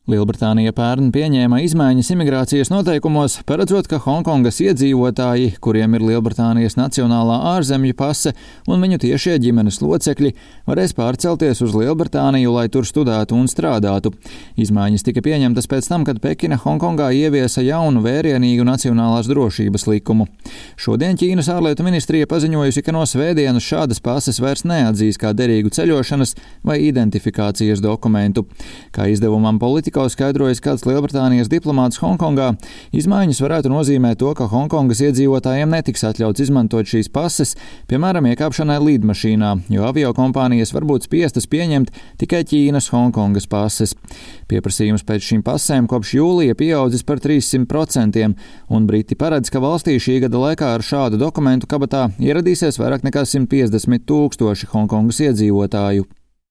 Lielbritānija pērn pieņēma izmaiņas imigrācijas noteikumos, paredzot, ka Hongkongas iedzīvotāji, kuriem ir Lielbritānijas nacionālā ārzemju pase un viņu tiešie ģimenes locekļi, varēs pārcelties uz Lielbritāniju, lai tur studētu un strādātu. Izmaiņas tika pieņemtas pēc tam, kad Pekina Hongkongā ieviesa jaunu vērienīgu nacionālās drošības likumu. Šodien Ķīnas ārlietu ministrija paziņojusi, ka no svētdienas šādas pases vairs neatzīs kā derīgu ceļošanas vai identifikācijas dokumentu. Kā izdevumam Politico skaidrojas kāds Lielbritānijas diplomāts Hongkongā, izmaiņas varētu nozīmēt to, ka Hongkongas iedzīvotājiem netiks atļauts izmantot šīs pases, piemēram, iekāpšanai lidmašīnā, jo aviokompānijas var būt spiestas pieņemt tikai Ķīnas Hongkongas pases. Pieprasījums pēc šīm pasēm kopš jūlija pieaudzis par 300%, un Briti paredz, ka valstī šī gada laikā ar šādu dokumentu kabatā ieradīsies vairāk nekā 150 000 Hongkongas iedzīvotāju.